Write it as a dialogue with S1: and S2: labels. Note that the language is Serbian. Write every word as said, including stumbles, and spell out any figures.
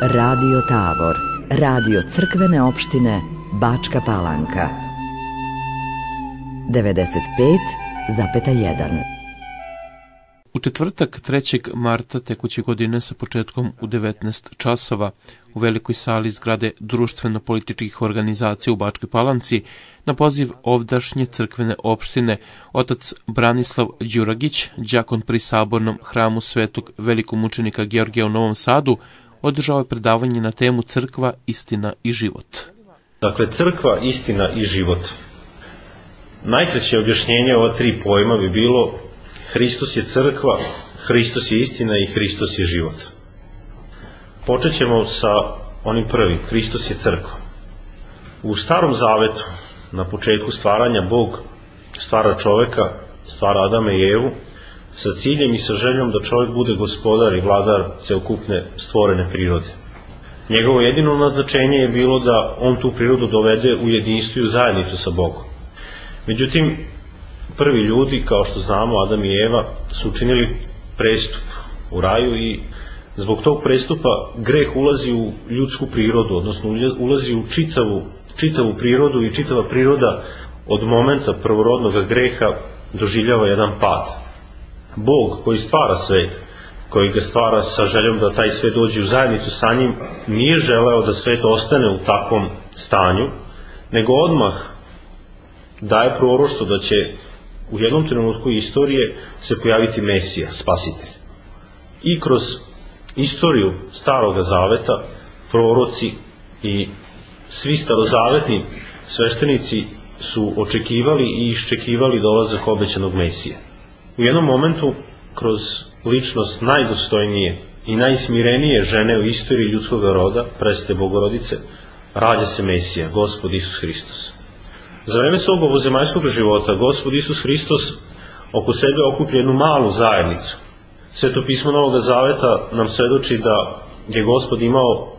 S1: Radio Tabor, radio crkvene opštine Bačka Palanka. devedeset pet zarez jedan.
S2: U četvrtak trećeg marta tekuće godine sa početkom u devetnaest časova u velikoj sali zgrade društveno-političkih organizacija u Bačkoj Palanci na poziv ovdašnje crkvene opštine otac Branislav Đuragić, đakon pri sabornom hramu svetog velikomučenika Georgija u Novom Sadu, održao je predavanje na temu Crkva, istina i život.
S3: Dakle, crkva, istina i život. Najkraće objašnjenje ova tri pojma bi bilo: Hristos je crkva, Hristos je istina i Hristos je život. Počet ćemo sa onim prvim, Hristos je crkva. U Starom Zavetu, na početku stvaranja, Bog stvara čoveka, stvara Adama i Evu, sa ciljem i sa željom da čovjek bude gospodar i vladar celokupne stvorene prirode. Njegovo jedino naznačenje je bilo da on tu prirodu dovede u jedinstvo i u zajednicu sa Bogom. Međutim, prvi ljudi, kao što znamo, Adam i Eva, su učinili prestup u raju i zbog tog prestupa greh ulazi u ljudsku prirodu, odnosno ulazi u čitavu, čitavu prirodu i čitava priroda od momenta prvorodnog greha doživljava jedan pad. Bog koji stvara svet, koji ga stvara sa željom da taj svet dođe u zajednicu sa njim, nije želeo da svet ostane u takvom stanju, nego odmah daje proroštvo da će u jednom trenutku istorije se pojaviti Mesija, spasitelj. I kroz istoriju Staroga Zaveta proroci i svi starozavetni sveštenici su očekivali i iščekivali dolazak obećanog Mesije. U jednom momentu, kroz ličnost najdostojnije i najsmirenije žene u istoriji ljudskog roda, presvete Bogorodice, rađa se Mesija, Gospod Isus Hristos. Za vreme svog ovozemaljskog života Gospod Isus Hristos oko sebe okuplja jednu malu zajednicu. Sveto pismo Novog Zaveta nam svedoči da je Gospod imao